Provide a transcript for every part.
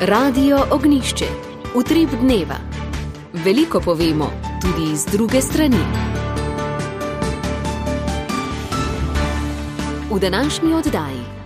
Radio Ognišče, utrip dneva. Veliko povemo, tudi iz druge strani. V današnji oddaji.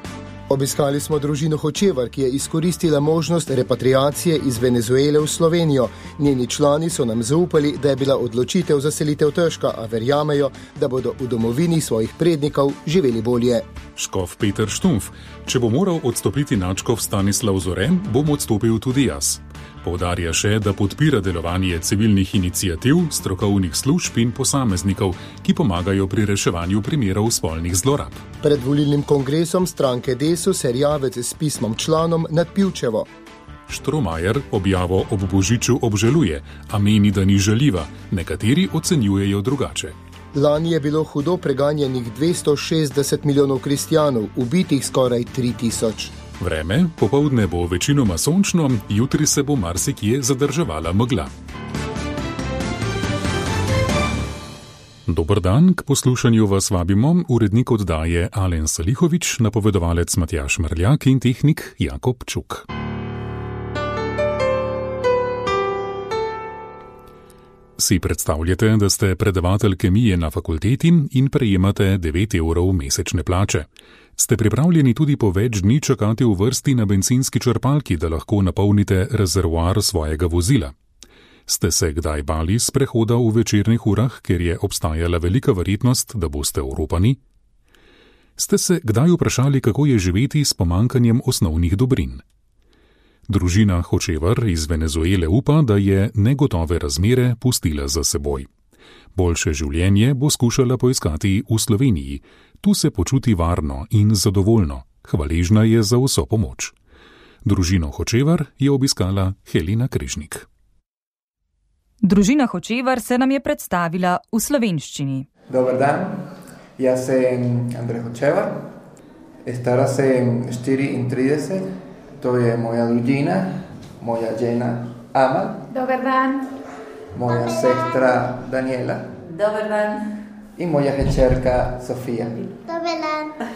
Obiskali smo družino Hočevar, ki je izkoristila možnost repatriacije iz Venezuele v Slovenijo. Njeni člani so nam zaupali, da je bila odločitev za selitev težka, a verjamejo, da bodo v domovini svojih prednikov živeli bolje. Škof Peter Štumf: če bo moral odstopiti nadškof Stanislav Zore, bom odstopil tudi jaz. Poudarja še, da podpira delovanje civilnih iniciativ, strokovnih služb in posameznikov, ki pomagajo pri reševanju primerov spolnih zlorab. Pred volilnim kongresom stranke Desus Erjavec s pismom članom nad Pivčevo. Štromajer objavo ob Božiču obžaluje, a meni, da ni žaljiva. Nekateri ocenjujejo drugače. Lani je bilo hudo preganjenih 260 milijonov kristjanov, ubitih skoraj 3000. Vreme, popoldne bo večinoma sončno, jutri se bo marsikje zadrževala megla. Dober dan, k poslušanju vas vabimo urednik oddaje Alen Salihovič, napovedovalec Matjaž Mrljak in tehnik Jakob Čuk. Si predstavljate, da ste predavatelj kemije na fakulteti in prejemate 9 evrov mesečne plače. Ste pripravljeni tudi po več dni čakati v vrsti na bencinski črpalki, da lahko napolnite rezervoar svojega vozila? Ste se kdaj bali sprehoda v večernih urah, ker je obstajala velika verjetnost, da boste oropani? Ste se kdaj vprašali, kako je živeti s pomankanjem osnovnih dobrin? Družina Hočevar iz Venezuele upa, da je negotove razmere pustila za seboj. Boljše življenje bo skušala poiskati v Sloveniji. Tu se počuti varno in zadovoljno. Hvaležna je za vso pomoč. Družino Hočevar je obiskala Helena Križnik. Družina Hočevar se nam je predstavila v slovenščini. Dobar dan, jaz sem Andrej Hočevar, stara sem 34, to je moja družina, moja žena Amal. Dobar dan. Moja sestra Daniela. Dobar dan. In moja hčerka Sofija. Dobar dan.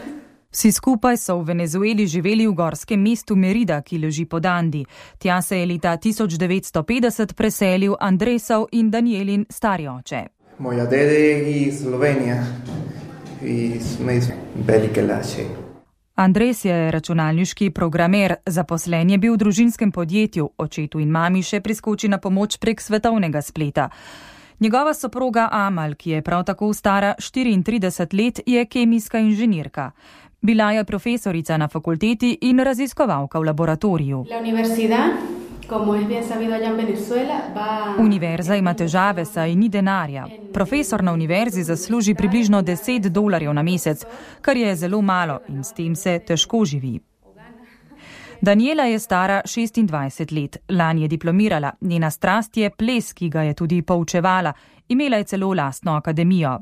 Vsi skupaj so v Venezueli živeli v gorskem mestu Merida, ki leži pod Andi. Tja se je leta 1950 preselil Andresov in Danielin stari oče. Moja dede je iz Slovenije, iz Velike Laše. Andres je računalniški programer, zaposlen je bil v družinskem podjetju, očetu in mami še priskoči na pomoč prek svetovnega spleta. Njegova soproga Amal, ki je prav tako stara 34 let, je kemijska inženirka. Bila je profesorica na fakulteti in raziskovalka v laboratoriju. Univerza ima težave, saj ni denarja. Profesor na univerzi zasluži približno $10 na mesec, kar je zelo malo in s tem se težko živi. Daniela je stara 26 let, lani je diplomirala, njena strast je ples, ki ga je tudi poučevala, imela je celo lastno akademijo.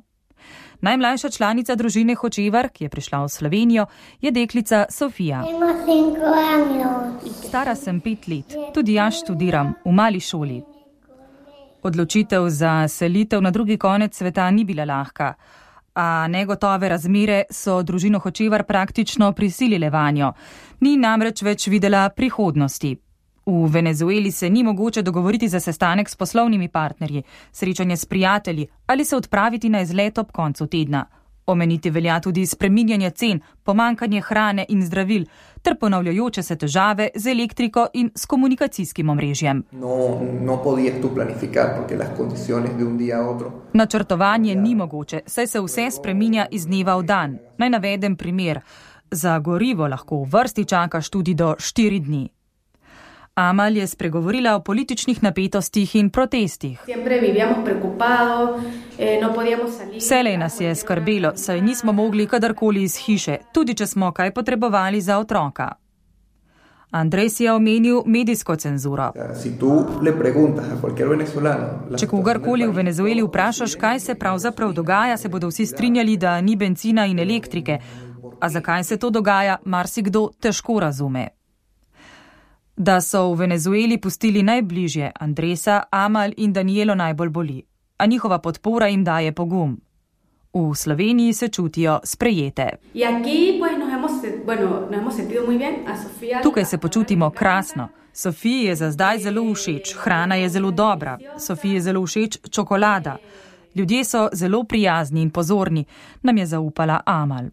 Najmlajša članica družine Hočevar, ki je prišla v Slovenijo, je deklica Sofija. Stara sem 5 let, tudi jaz študiram v mali šoli. Odločitev za selitev na drugi konec sveta ni bila lahka, a negotove razmere so družino Hočevar praktično prisilile vanjo. Ni namreč več videla prihodnosti. V Venezueli se ni mogoče dogovoriti za sestanek s poslovnimi partnerji, srečanje s prijatelji ali se odpraviti na izlet ob koncu tedna. Omeniti velja tudi spreminjanje cen, pomankanje hrane in zdravil ter ponavljajoče se težave z elektriko in s komunikacijskim omrežjem. Načrtovanje ni mogoče, saj se vse spreminja iz dneva v dan. Naj navedem primer. Za gorivo lahko v vrsti čakaš tudi do 4 dni. Amal je spregovorila o političnih napetostih in protestih. Vselej nas je skrbelo, saj nismo mogli kadarkoli iz hiše, tudi če smo kaj potrebovali za otroka. Andres je omenil medijsko cenzuro. Če kogarkoli v Venezueli vprašaš, kaj se pravzaprav dogaja, se bodo vsi strinjali, da ni bencina in elektrike. A zakaj se to dogaja, marsikdo težko razume. Da so v Venezueli pustili najbližje Andresa, Amal in Danielo najbolj boli, a njihova podpora jim daje pogum. V Sloveniji se čutijo sprejete. Tukaj se počutimo krasno. Sofiji je za zdaj zelo všeč, hrana je zelo dobra, Sofiji je zelo všeč čokolada. Ljudje so zelo prijazni in pozorni, nam je zaupala Amal.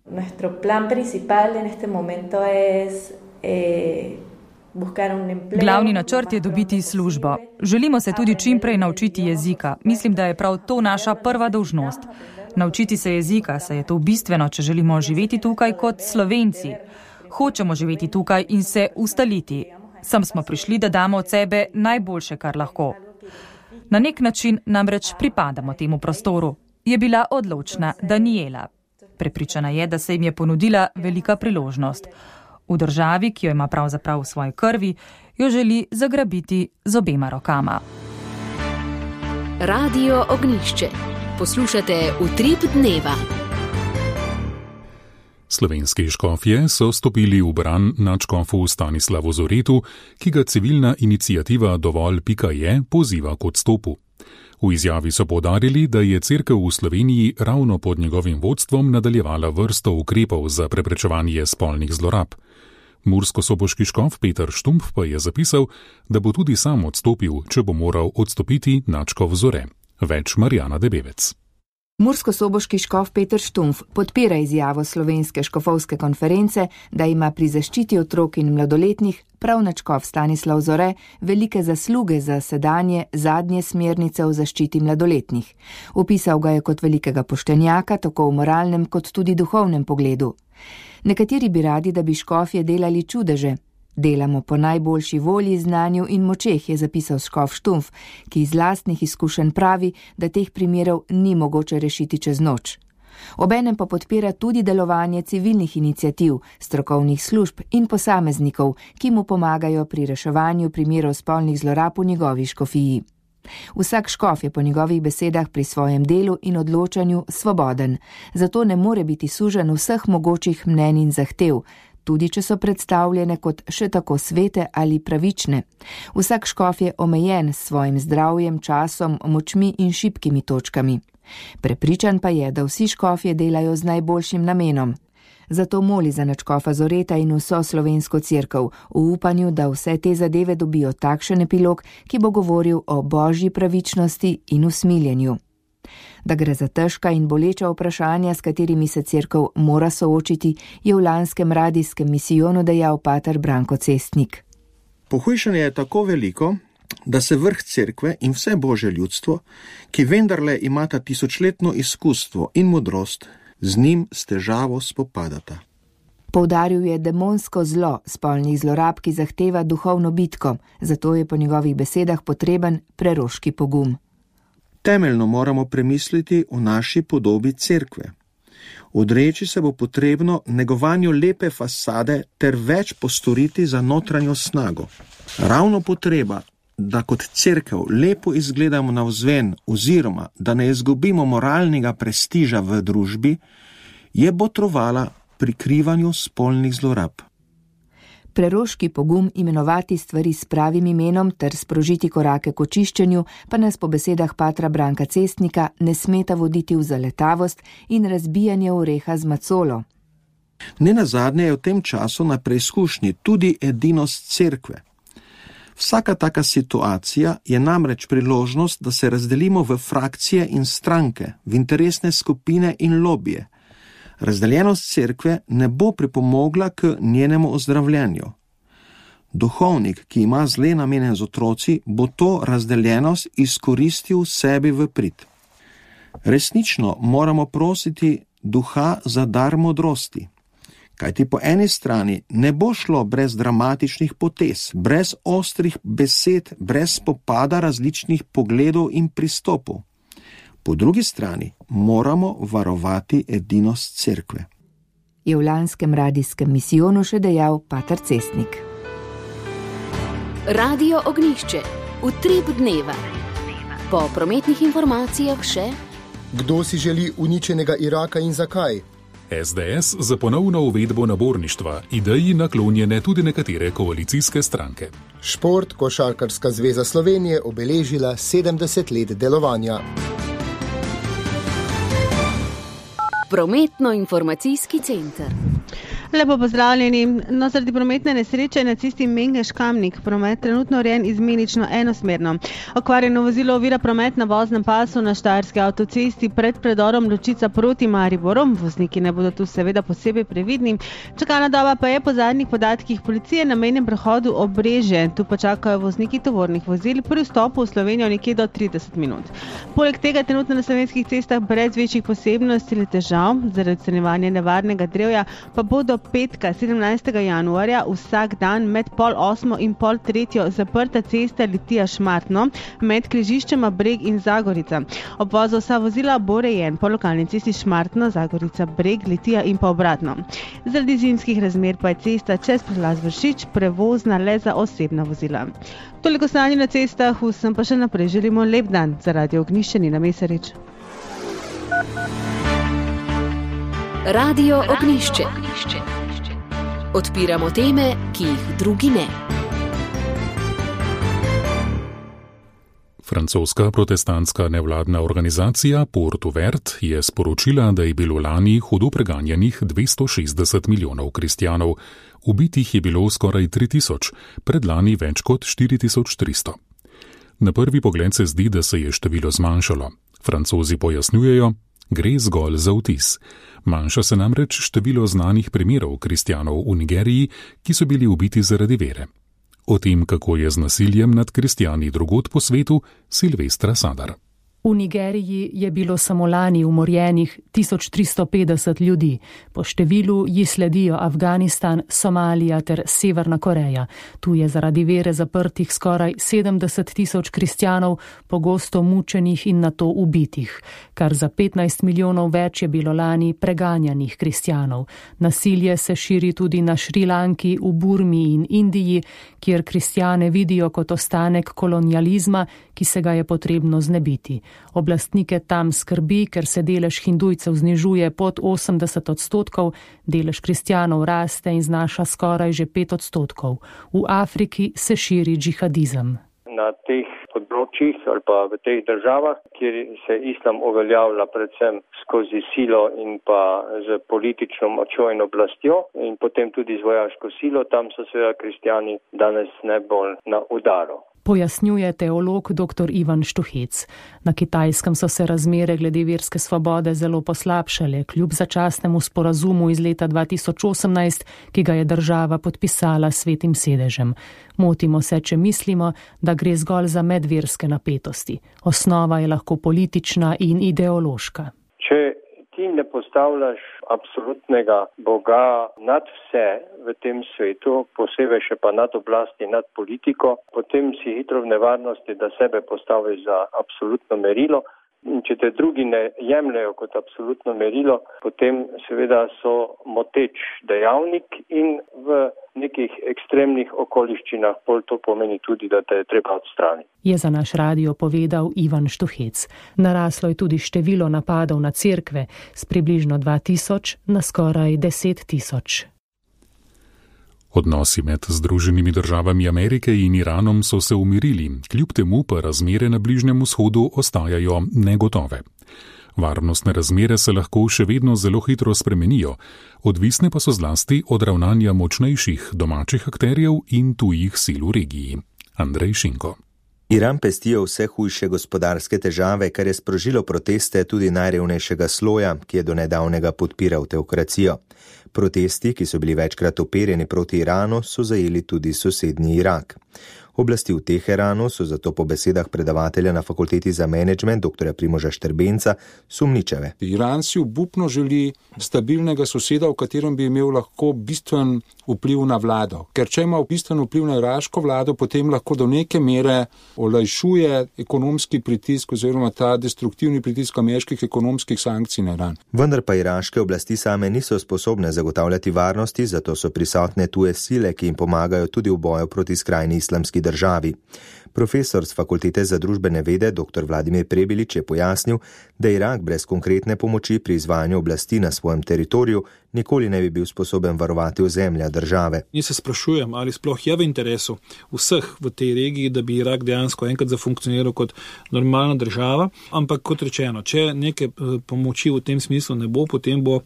Glavni načrt je dobiti službo. Želimo se tudi čim prej naučiti jezika. Mislim, da je prav to naša prva dolžnost. Naučiti se jezika, saj je to bistveno, če želimo živeti tukaj kot Slovenci. Hočemo živeti tukaj in se ustaliti. Sem smo prišli, da damo od sebe najboljše, kar lahko. Na nek način namreč pripadamo temu prostoru, je bila odločna Daniela. Prepričana je, da se jim je ponudila velika priložnost. V državi, ki jo ima pravzaprav v svoji krvi, jo želi zagrabiti z obema rokama. Radio Ognjišče. Poslušate Utrip dneva. Slovenski škofje so stopili v bran nadškofu Stanislavu Zoretu, ki ga civilna iniciativa Dovolj.je poziva k odstopu. V izjavi so poudarili, da je cerkev v Sloveniji ravno pod njegovim vodstvom nadaljevala vrsto ukrepov za preprečevanje spolnih zlorab. Murskosoboški škof Peter Štumpf pa je zapisal, da bo tudi sam odstopil, če bo moral odstopiti nadškof Zore. Več Marjana Debevec. Murskosoboški škof Peter Štumpf podpira izjavo Slovenske škofovske konference, da ima pri zaščiti otrok in mladoletnih prav nadškof Stanislav Zore velike zasluge za sedanje zadnje smernice o zaščiti mladoletnih. Opisal ga je kot velikega poštenjaka, tako v moralnem kot tudi duhovnem pogledu. Nekateri bi radi, da bi škofje delali čudeže. Delamo po najboljši volji, znanju in močeh, je zapisal škof Štumpf, ki iz lastnih izkušenj pravi, da teh primerov ni mogoče rešiti čez noč. Obenem pa podpira tudi delovanje civilnih iniciativ, strokovnih služb in posameznikov, ki mu pomagajo pri reševanju primerov spolnih zlorab v njegovi škofiji. Vsak škof je po njegovih besedah pri svojem delu in odločanju svoboden, zato ne more biti sužen vseh mogočih mnenj in zahtev, tudi če so predstavljene kot še tako svete ali pravične. Vsak škof je omejen s svojim zdravjem, časom, močmi in šibkimi točkami. Prepričan pa je, da vsi škofje delajo z najboljšim namenom. Zato moli za nadškofa Zoreta in vso slovensko cerkev, v upanju, da vse te zadeve dobijo takšen epilog, ki bo govoril o božji pravičnosti in usmiljenju. Da gre za težka in boleča vprašanja, s katerimi se cerkev mora soočiti, je v lanskem radijskem misijonu dejal pater Branko Cestnik. Pohujšanje je tako veliko, da se vrh cerkve in vse božje ljudstvo, ki vendarle imata tisočletno izkustvo in modrost, z njim s težavo spopadata. Poudaril je demonsko zlo spolnih zlorab, ki zahteva duhovno bitko, zato je po njegovih besedah potreben preroški pogum. Temeljno moramo premisliti o naši podobi cerkve. Odreči se bo potrebno negovanju lepe fasade ter več postoriti za notranjo snago. Ravno potreba, da kot cerkev lepo izgledamo navzven oziroma da ne izgubimo moralnega prestiža v družbi, je botrovala prikrivanju spolnih zlorab. Preroški pogum imenovati stvari s pravim imenom ter sprožiti korake k očiščenju pa nas po besedah patra Branka Cestnika ne smeta voditi v zaletavost in razbijanje oreha z macolo. Nenazadnje je v tem času na preizkušnji tudi edinost cerkve. Vsaka taka situacija je namreč priložnost, da se razdelimo v frakcije in stranke, v interesne skupine in lobije. Razdeljenost cerkve ne bo pripomogla k njenemu ozdravljanju. Duhovnik, ki ima zle namene z otroci, bo to razdeljenost izkoristil sebi v prid. Resnično moramo prositi duha za dar modrosti, kajti po eni strani ne bo šlo brez dramatičnih potez, brez ostrih besed, brez spopada različnih pogledov in pristopov. Po drugi strani moramo varovati edinost cerkve. Je v lanskem radijskem misijonu še dejal pater Cestnik. Radio Ognjišče. Utrip dneva. Po prometnih informacijah še: kdo si želi uničenega Iraka in zakaj? SDS za ponovno uvedbo naborništva, ideji naklonjene tudi nekatere koalicijske stranke. Šport, Košarkarska zveza Slovenije obeležila 70 let delovanja. Prometno-informacijski center. Lepo pozdravljeni. No, zaradi prometne nesreče na cesti Mengeš-Kamnik promet trenutno urejen izmenično enosmerno. Okvarjeno vozilo ovira promet na voznem pasu na Štajerski avtocesti pred predorom Ločica proti Mariboru. Vozniki ne bodo tu seveda posebej previdni. Čakalna doba pa je po zadnjih podatkih policije na mejnem prehodu Obrežje. Tu pa čakajo vozniki tovornih vozil pri vstopu v Slovenijo nekje do 30 minut. Poleg tega trenutno na slovenskih cestah brez večjih posebnosti ali težav zaradi odstranjevanja nevarnega drevja pa bodo petka 17. januarja vsak dan med 7:30 in 7:30 zaprta cesta Litija-Šmartno med križiščema Breg in Zagorica. Obvoz za vsa vozila bo urejen po lokalni cesti Šmartno, Zagorica, Breg, Litija in pa obratno. Zaradi zimskih razmer pa je cesta čez prelaz Vršič prevozna le za osebna vozila. Toliko stanje na cestah, vsem pa še naprej želimo lep dan. Za Radio Ognjišče Nina Mesarič. Radio Ognjišče. Odpiramo teme, ki jih drugi ne. Francoska protestantska nevladna organizacija Porto Vert je sporočila, da je bilo lani hudo preganjanih 260 milijonov kristjanov. Ubitih je bilo skoraj 3000, predlani več kot 4300. Na prvi pogled se zdi, da se je število zmanjšalo. Francozi pojasnjujejo, gre zgolj za vtis. Manjša se namreč število znanih primerov kristjanov v Nigeriji, ki so bili ubiti zaradi vere. O tem, kako je z nasiljem nad kristjani drugod po svetu, Silvestra Sadar. V Nigeriji je bilo samo lani umorjenih 1350 ljudi. Po številu ji sledijo Afganistan, Somalija ter Severna Koreja. Tu je zaradi vere zaprtih skoraj 70 000 kristjanov, pogosto mučenih in nato ubitih. Kar za 15 milijonov več je bilo lani preganjanih kristjanov. Nasilje se širi tudi na Šrilanki, v Burmi in Indiji, kjer kristjane vidijo kot ostanek kolonializma, ki se ga je potrebno znebiti. Oblastnike tam skrbi, ker se delež hindujcev znižuje pod 80%, delež kristjanov raste in znaša skoraj že 5%. V Afriki se širi džihadizem. Na teh področjih ali pa v teh državah, kjer se islam uveljavlja predvsem skozi silo in pa z politično močjo in oblastjo in potem tudi z vojaško silo, tam so seveda kristjani danes najbolj na udaru. Pojasnjuje teolog dr. Ivan Štuhec. Na Kitajskem so se razmere glede verske svobode zelo poslabšale, kljub začasnemu sporazumu iz leta 2018, ki ga je država podpisala s Svetim sedežem. Motimo se, če mislimo, da gre zgolj za medverske napetosti. Osnova je lahko politična in ideološka. Če ti ne postavljaš absolutnega Boga nad vse v tem svetu, posebej še pa nad oblasti, nad politiko, potem si hitro v nevarnosti, da sebe postaviš za absolutno merilo. In če te drugi ne jemljajo kot absolutno merilo, potem seveda so moteč dejavnik in v nekih ekstremnih okoliščinah pol to pomeni tudi, da te je treba odstraniti. Je za naš radio povedal Ivan Štuhec. Naraslo je tudi število napadov na cerkve s približno 2000 na skoraj 10 000. Odnosi med Združenimi državami Amerike in Iranom so se umirili, kljub temu pa razmere na Bližnjem vzhodu ostajajo negotove. Varnostne razmere se lahko še vedno zelo hitro spremenijo, odvisne pa so zlasti od ravnanja močnejših domačih akterjev in tujih sil v regiji. Andrej Šinko. Iran pestijo vse hujše gospodarske težave, kar je sprožilo proteste tudi najrevnejšega sloja, ki je do nedavnega podpiral teokracijo. Protesti, ki so bili večkrat uperjeni proti Iranu, so zajeli tudi sosednji Irak. Oblasti v Teheranu so zato po besedah predavatelja na fakulteti za menedžment dr. Primoža Štrbenca sumničave. Iran si obupno želi stabilnega soseda, v katerem bi imel lahko bistven vpliv na vlado. Ker če ima bistven vpliv na iraško vlado, potem lahko do neke mere olajšuje ekonomski pritisk oziroma ta destruktivni pritisk ameriških ekonomskih sankcij na Iran. Vendar pa iraške oblasti same niso sposobne zagotavljati varnosti, zato so prisotne tuje sile, ki jim pomagajo tudi v boju proti skrajni islamski islamski državi. Profesor z Fakultete za družbene vede dr. Vladimir Prebilič je pojasnil, da Irak brez konkretne pomoči pri izvajanju oblasti na svojem teritoriju nikoli ne bi bil sposoben varovati ozemlja države. Jaz se sprašujem, ali sploh je v interesu vseh v tej regiji, da bi Irak dejansko enkrat zafunkcioniral kot normalna država, ampak kot rečeno, če neke pomoči v tem smislu ne bo, potem bo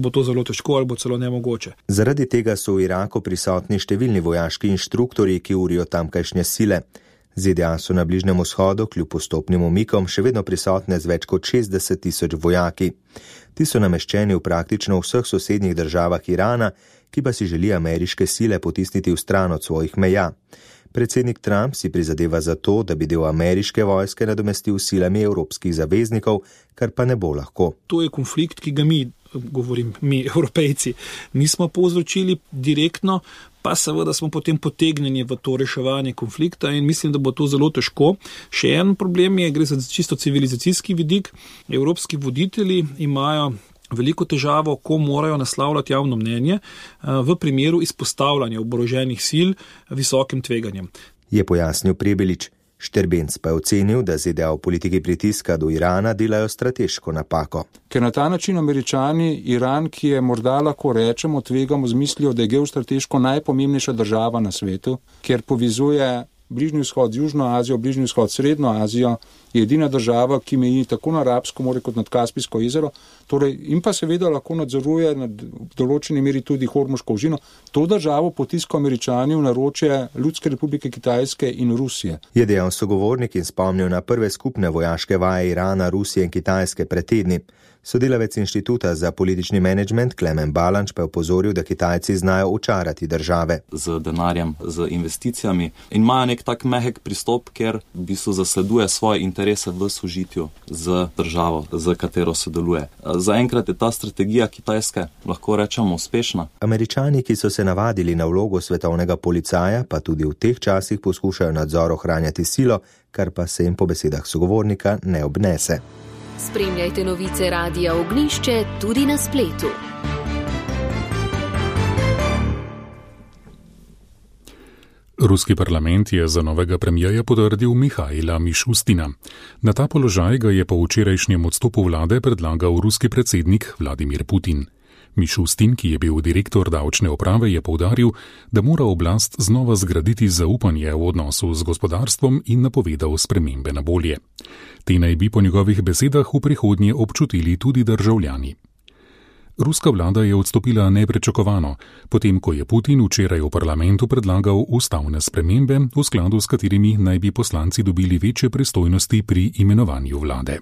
to zelo težko ali bo celo nemogoče. Zaradi tega so v Iraku prisotni številni vojaški inštruktorji, ki urijo tamkajšnje sile. ZDA so na Bližnjem vzhodu kljub postopnim umikom še vedno prisotne z več kot 60,000 vojaki. Ti so nameščeni v praktično vseh sosednjih državah Irana, ki pa si želi ameriške sile potisniti v stran od svojih meja. Predsednik Trump si prizadeva za to, da bi del ameriške vojske nadomestil silami evropskih zaveznikov, kar pa ne bo lahko. To je konflikt, ki ga mi, Evropejci, nismo povzročili direktno, pa seveda smo potem potegnjeni v to reševanje konflikta in mislim, da bo to zelo težko. Še en problem je, gre za čisto civilizacijski vidik. Evropski voditelji imajo veliko težavo, ko morajo naslavljati javno mnenje v primeru izpostavljanja oboroženih sil visokim tveganjem. Je pojasnil Prebilič. Šterbenc pa je ocenil, da ZDA v politiki pritiska do Irana delajo strateško napako. Ker na ta način Američani Iran, ki je morda lahko rečemo, tvegamo z mislijo, da je geostrateško najpomembnejša država na svetu, ker povezuje Bližnji vzhod z Južno Azijo, Bližnji vzhod s Srednjo Azijo, je edina država, ki meji tako na Arabsko morje kot nad Kaspijsko jezero, torej in pa seveda lahko nadzoruje na določeni meri tudi Hormuško ožino. To državo potiskajo Američani v naročje Ljudske republike Kitajske in Rusije. Je dejal sogovornik in spomnil na prve skupne vojaške vaje Irana, Rusije in Kitajske pred tedni. Sodelavec Inštituta za politični menedžment Klemen Balanč pa je opozoril, da Kitajci znajo očarati države. Z denarjem, z investicijami in imajo nek tak mehek pristop, ker v bistvu zasleduje svoje interese v sožitju z državo, z katero sodeluje. Zaenkrat je ta strategija Kitajske, lahko rečemo, uspešna. Američani, ki so se navadili na vlogo svetovnega policaja, pa tudi v teh časih poskušajo nadzor ohranjati silo, kar pa se jim po besedah sogovornika ne obnese. Spremljajte novice Radia Ognjišče tudi na spletu. Ruski parlament je za novega premijerja potrdil Mihaila Mišustina. Na ta položaj ga je po včerajšnjem odstopu vlade predlagal ruski predsednik Vladimir Putin. Mišustin, ki je bil direktor davčne uprave, je poudaril, da mora oblast znova zgraditi zaupanje v odnosu z gospodarstvom in napovedal spremembe na bolje. Te naj bi po njegovih besedah v prihodnje občutili tudi državljani. Ruska vlada je odstopila neprečakovano, potem ko je Putin včeraj v parlamentu predlagal ustavne spremembe, v skladu s katerimi naj bi poslanci dobili večje pristojnosti pri imenovanju vlade.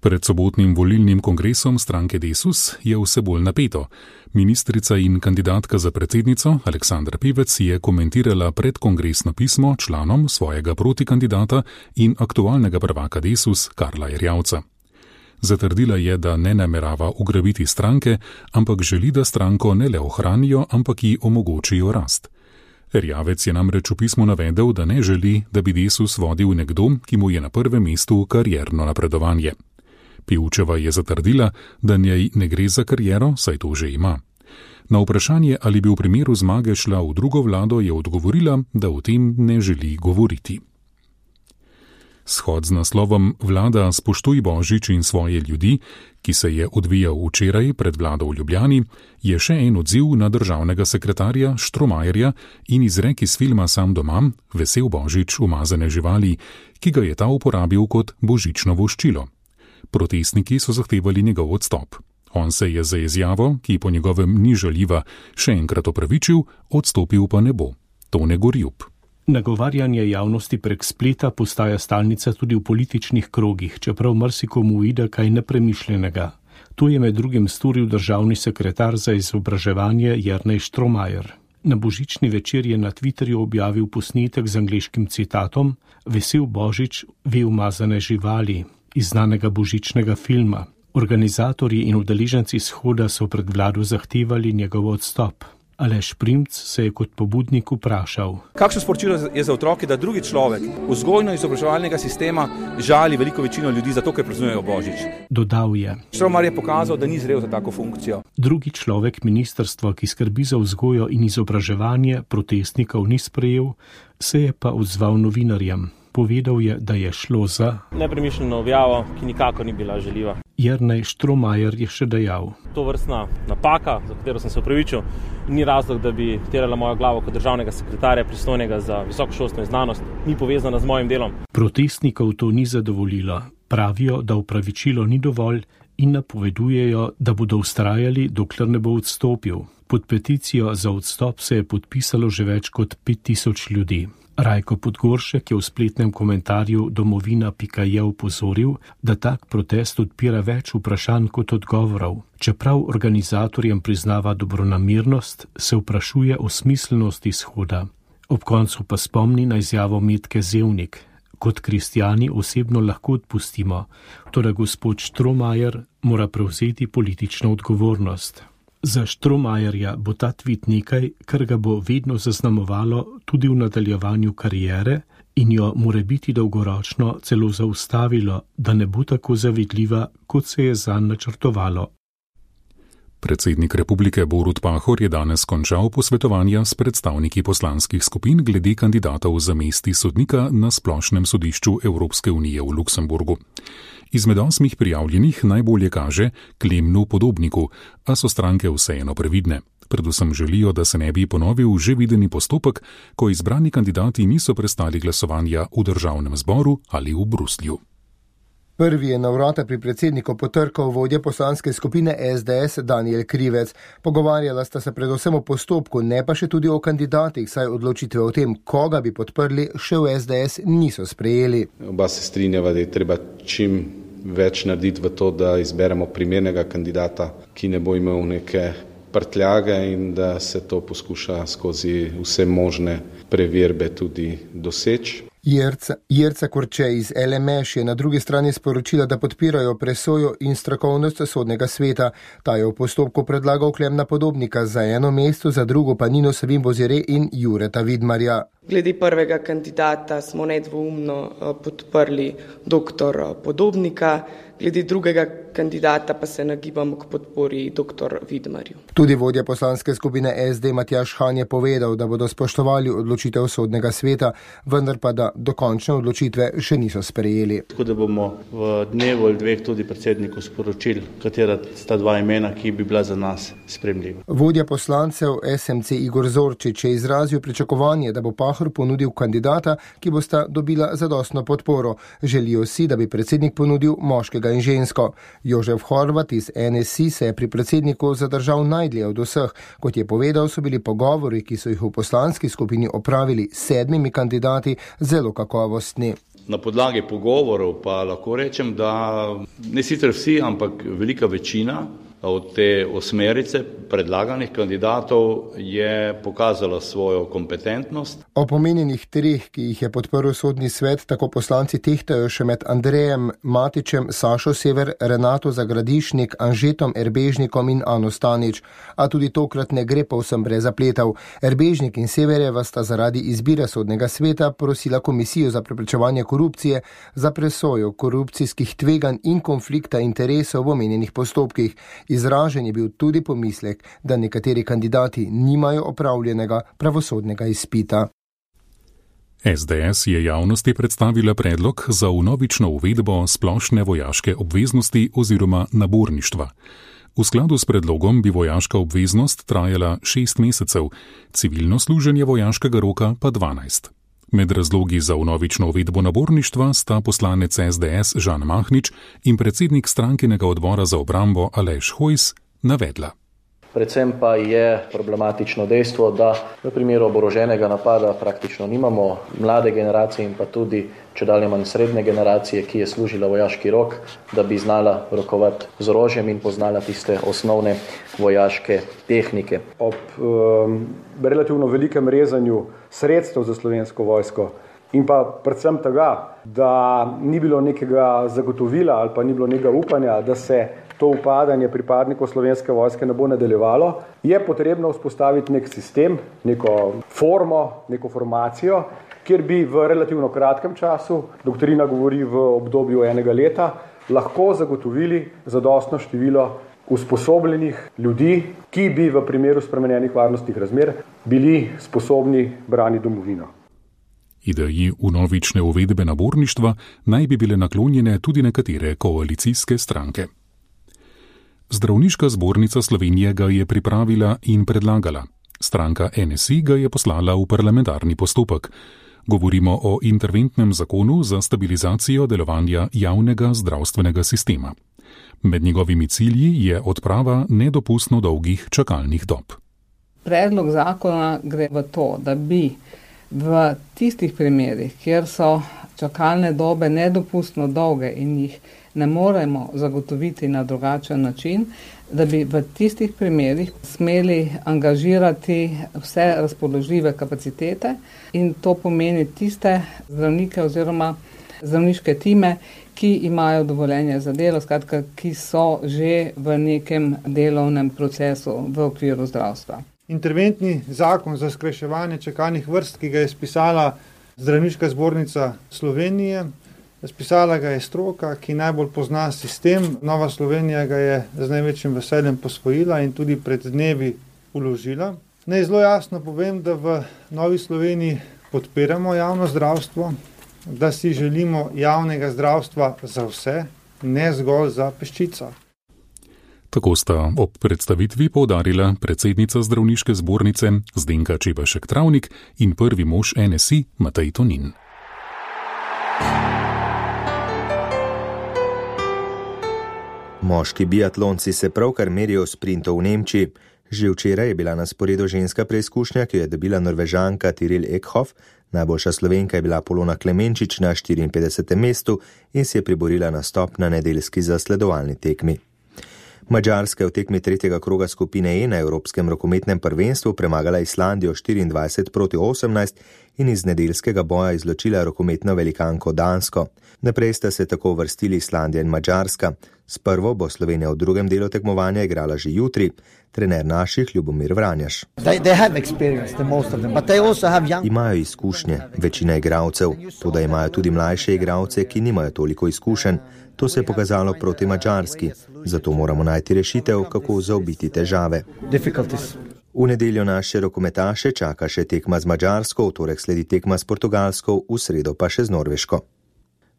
Pred sobotnim volilnim kongresom stranke Desus je vse bolj napeto. Ministrica in kandidatka za predsednico Aleksandra Pivec je komentirala predkongresno pismo članom svojega protikandidata in aktualnega prvaka Desus Karla Erjavca. Zatrdila je, da ne namerava ugrabiti stranke, ampak želi, da stranko ne le ohranijo, ampak ji omogočijo rast. Erjavec je namreč v pismu navedel, da ne želi, da bi Desus vodil nekdo, ki mu je na prvem mestu karierno napredovanje. Pivčeva je zatrdila, da njej ne gre za kariero, saj to že ima. Na vprašanje, ali bi v primeru zmage šla v drugo vlado, je odgovorila, da o tem ne želi govoriti. Shod z naslovom Vlada spoštuj Božič in svoje ljudi, ki se je odvijal včeraj pred vlado v Ljubljani, je še en odziv na državnega sekretarja Štromajerja in izrek iz filma Sam doma, Vesel Božič, umazane živali, ki ga je ta uporabil kot božično voščilo. Protestniki so zahtevali njegov odstop. On se je za izjavo, ki po njegovem ni žaljiva, še enkrat opravičil, odstopil pa ne bo. Tone Gorjub. Nagovarjanje javnosti prek spleta postaja stalnica tudi v političnih krogih, čeprav marsikomu uide kaj nepremišljenega. To je med drugim storil državni sekretar za izobraževanje Jernej Štromajer. Na božični večer je na Twitterju objavil posnetek z angleškim citatom Vesel Božič, vi umazane živali, iz znanega božičnega filma. Organizatorji in udeleženci shoda so pred vlado zahtevali njegov odstop. Aleš Primc se je kot pobudnik vprašal: kakšno sporočilo je za otroke, da drugi človek vzgojno-izobraževalnega sistema žali veliko večino ljudi zato, ker praznujejo Božič? Dodal je: Štromar je pokazal, da ni zrel za tako funkcijo. Drugi človek ministrstva, ki skrbi za vzgojo in izobraževanje, protestnikov ni sprejel, se je pa odzval novinarjem. Povedal je, da je šlo za nepremišljeno objavo, ki nikakor ni bila žaljiva. Jernej Štromajer je še dejal: to vrstna napaka, za katero sem se opravičil, ni razlog, da bi terala mojo glavo kot državnega sekretarja pristojnega za visoko šolstvo in znanost, ni povezana z mojim delom. Protestnikov to ni zadovoljilo. Pravijo, da opravičilo ni dovolj in napovedujejo, da bodo vztrajali, dokler ne bo odstopil. Pod peticijo za odstop se je podpisalo že več kot 5000 ljudi. Rajko Podgoršek je v spletnem komentarju domovina.je opozoril, da tak protest odpira več vprašanj kot odgovorov. Čeprav organizatorjem priznava dobronamernost, se vprašuje o smiselnosti izhoda. Ob koncu pa spomni na izjavo Metke Zevnik: kot kristjani osebno lahko odpustimo, toda gospod Štromajer mora prevzeti politično odgovornost. Za Štromajerja bo ta tvit nekaj, kar ga bo vedno zaznamovalo tudi v nadaljevanju kariere in jo more biti dolgoročno celo zaustavilo, da ne bo tako zavidljiva, kot se je zanj načrtovalo. Predsednik republike Borut Pahor je danes končal posvetovanja s predstavniki poslanskih skupin glede kandidatov za mesti sodnika na Splošnem sodišču Evropske unije v Luksemburgu. Izmed 8 prijavljenih najbolje kaže Klemnu Podobniku, a so stranke vseeno previdne. Predvsem želijo, da se ne bi ponovil že videni postopek, ko izbrani kandidati niso prestali glasovanja v državnem zboru ali v Bruslju. Prvi je na vrata pri predsedniku potrkal vodja poslanske skupine SDS Danijel Krivec. Pogovarjala sta se predvsem o postopku, ne pa še tudi o kandidatih, saj odločitve o tem, koga bi podprli, še v SDS niso sprejeli. Oba se strinjava, da je treba čim več narediti v to, da izberemo primernega kandidata, ki ne bo imel neke prtljage in da se to poskuša skozi vse možne preverbe tudi doseči. Jerca Korče iz LMŠ je na drugi strani sporočila, da podpirajo presojo in strokovnost sodnega sveta. Ta je v postopku predlagal Klemna Podobnika za eno mesto, za drugo pa Nino Savin-Bozire in Jureta Vidmarja. Glede prvega kandidata smo nedvoumno podprli dr. Podobnika, glede drugega kandidata pa se nagibamo k podpori dr. Vidmarju. Tudi vodja poslanske skupine SD Matjaž Han je povedal, da bodo spoštovali odločitev sodnega sveta, vendar pa da dokončne odločitve še niso sprejeli. Tako da bomo v dnevu ali dveh tudi predsedniku sporočili, katera sta dva imena, ki bi bila za nas sprejemljiva. Vodja poslancev SMC Igor Zorčič je izrazil pričakovanje, da bo Pahor ponudil kandidata, ki bosta dobila zadostno podporo. Želijo si, da bi predsednik ponudil moškega in žensko. Jožef Horvat iz NSI se je pri predsedniku zadržal najdlje od vseh. Kot je povedal, so bili pogovori, ki so jih v poslanski skupini opravili s 7 kandidati, zelo kakovostni. Na podlagi pogovorov pa lahko rečem, da ne sicer vsi, ampak velika večina od te 8 predlaganih kandidatov je pokazala svojo kompetentnost. O pomenjenih 3, ki jih je podprl sodni svet, tako poslanci tehtajo še med Andrejem Matičem, Sašo Sever, Renato Zagradišnik, Anžetom Erbežnikom in Ano Stanič. A tudi tokrat ne gre povsem brez zapletov. Erbežnik in Severjeva sta zaradi izbire sodnega sveta prosila Komisijo za preprečevanje korupcije za presojo korupcijskih tveganj in konflikta interesov v omenjenih postopkih. Izražen je bil tudi pomislek, da nekateri kandidati nimajo opravljenega pravosodnega izpita. SDS je javnosti predstavila predlog za vnovično uvedbo splošne vojaške obveznosti oziroma naborništva. V skladu s predlogom bi vojaška obveznost trajala 6 mesecev, civilno služenje vojaškega roka pa 12. Med razlogi za vnovično uvedbo naborništva sta poslanec SDS Žan Mahnič in predsednik strankinega odbora za obrambo Aleš Hojs navedla. Predvsem pa je problematično dejstvo, da v primeru oboroženega napada praktično nimamo mlade generacije in pa tudi čedalje manj srednje generacije, ki je služila vojaški rok, da bi znala rokovati z orožjem in poznala tiste osnovne vojaške tehnike. Ob relativno velikem rezanju sredstev za Slovensko vojsko in pa predvsem tega, da ni bilo nekega zagotovila ali pa ni bilo nekega upanja, da se to upadanje pripadnikov Slovenske vojske ne bo nadaljevalo, je potrebno vzpostaviti nek sistem, neko formo, neko formacijo, kjer bi v relativno kratkem času, doktrina govori v obdobju 1 leta, lahko zagotovili zadostno število usposobljenih ljudi, ki bi v primeru spremenjenih varnostnih razmer bili sposobni braniti domovino. Ideji vnovične uvedbe naborništva naj bi bile naklonjene tudi nekatere koalicijske stranke. Zdravniška zbornica Slovenije ga je pripravila in predlagala. Stranka NSI ga je poslala v parlamentarni postopek. Govorimo o interventnem zakonu za stabilizacijo delovanja javnega zdravstvenega sistema. Med njegovimi cilji je odprava nedopustno dolgih čakalnih dob. Predlog zakona gre v to, da bi v tistih primerih, kjer so čakalne dobe nedopustno dolge in jih ne moremo zagotoviti na drugačen način, da bi v tistih primerih smeli angažirati vse razpoložljive kapacitete in to pomeni tiste zdravnike oziroma zdravniške time, ki imajo dovoljenje za delo, skratka, ki so že v nekem delovnem procesu v okviru zdravstva. Interventni zakon za skrajševanje čakalnih vrst, ki ga je spisala Zdravniška zbornica Slovenije, spisala ga je stroka, ki najbolj pozna sistem. Nova Slovenija ga je z največjim veseljem posvojila in tudi pred dnevi vložila. Naj zelo jasno povem, da v Novi Sloveniji podpiramo javno zdravstvo, da si želimo javnega zdravstva za vse, ne zgolj za peščico. Tako sta ob predstavitvi poudarila predsednica Zdravniške zbornice Zdenka Čebašek Travnik in prvi mož NSI Matej Tonin. Moški biatlonci se pravkar merijo v sprintu v Nemčiji. Že včeraj je bila na sporedu ženska preizkušnja, ki jo je dobila Norvežanka Tiril Ekhof. Najboljša Slovenka je bila Polona Klemenčič na 54. mestu in si je priborila nastop na nedeljski zasledovalni tekmi. Madžarska je v tekmi 3. kroga skupine E na Evropskem rokometnem prvenstvu premagala Islandijo 24-18 in iz nedeljskega boja izločila rokometno velikanko Dansko. Naprej sta se tako vrstili Islandija in Madžarska. S prvo bo Slovenija v drugem delu tekmovanja igrala že jutri. Trener naših Ljubomir Vranjaš. Imajo izkušnje, večina igralcev, toda imajo tudi mlajše igralce, ki nimajo toliko izkušenj. To se je pokazalo proti Madžarski, zato moramo najti rešitev, kako zaobiti težave. V nedeljo naše rokometaše čaka še tekma z Madžarsko, v torek sledi tekma s Portugalsko, v sredo pa še z Norveško.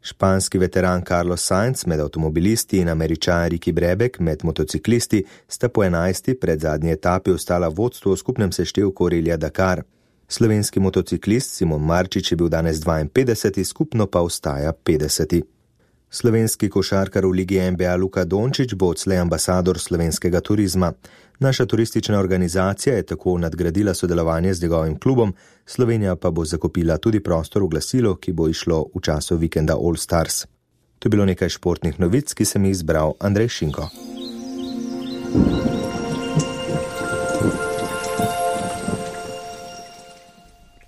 Španski veteran Carlos Sainz med avtomobilisti in Američan Ricky Brebek med motociklisti sta po 11. predzadnji etapi ostala vodstvo v skupnem seštevku relija Dakar. Slovenski motociklist Simon Marčič je bil danes 52, skupno pa ostaja 50. Slovenski košarkar v ligi NBA Luka Dončić bo odslej ambasador slovenskega turizma. Naša turistična organizacija je tako nadgradila sodelovanje z njegovim klubom, Slovenija pa bo zakupila tudi prostor v glasilu, ki bo išlo v času vikenda All Stars. To je bilo nekaj športnih novic, ki sem jih izbral Andrej Šinko.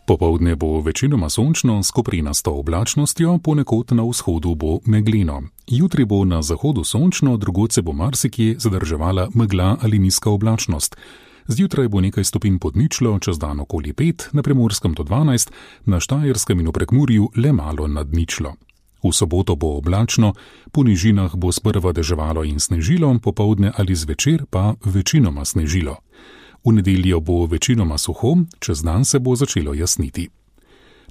Popoldne bo večinoma sončno s koprenasto oblačnostjo, ponekod na vzhodu bo megleno. Jutri bo na zahodu sončno, drugod se bo marsikje zadrževala megla ali nizka oblačnost. Zjutraj bo nekaj stopinj pod ničlo, čez dan okoli 5, na Primorskem do 12, na Štajerskem in v Prekmurju le malo nad ničlo. V soboto bo oblačno, po nižinah bo sprva deževalo in snežilo, popoldne ali zvečer pa večinoma snežilo. V nedeljo bo večinoma suho, čez dan se bo začelo jasniti.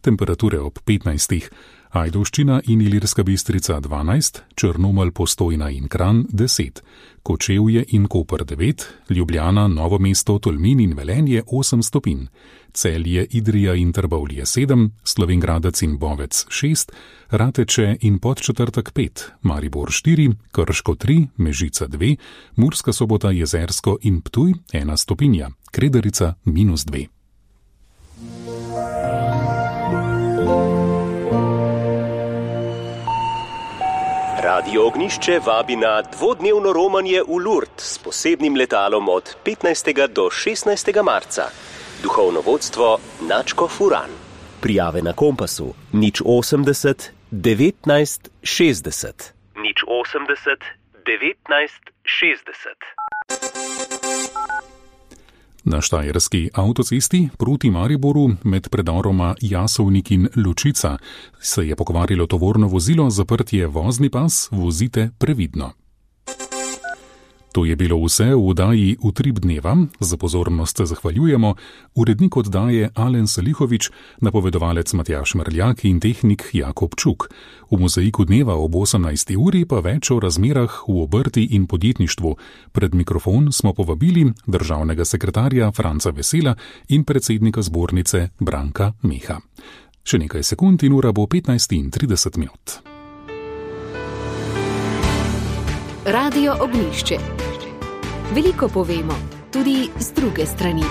Temperature ob 15. Ajdovščina in Ilirska Bistrica 12, Črnomelj, Postojna in Kranj 10, Kočevje in Koper 9, Ljubljana, Novo mesto, Tolmin in Velenje 8 stopinj, Celje, Idrija in Trbovlje 7, Slovenjgradec in Bovec 6, Rateče in Podčetrtek 5, Maribor 4, Krško 3, Mežica 2, Murska Sobota, Jezersko in Ptuj 1 stopinja, Kredarica -2. Radio Ognišče vabi na dvodnevno romanje v Lourdes s posebnim letalom od 15. do 16. marca. Duhovno vodstvo Načko Furan. Prijave na Kompasu 080 19 60. 080 19 Na štajerski avtocesti proti Mariboru med predoroma Jasovnik in Lučica se je pokvarilo tovorno vozilo, zaprt je vozni pas, vozite previdno. To je bilo vse v oddaji Utrip dneva. Za pozornost se zahvaljujemo. Urednik oddaje Alen Salihovič, napovedovalec Matjaž Mrljak in tehnik Jakob Čuk. V mozaiku dneva ob 18. uri pa več o razmerah v obrti in podjetništvu. Pred mikrofon smo povabili državnega sekretarja Franca Vesela in predsednika zbornice Branka Meha. Še nekaj sekund in ura bo 15:30. Radio Ognjišče. Veliko povemo, tudi z druge strani.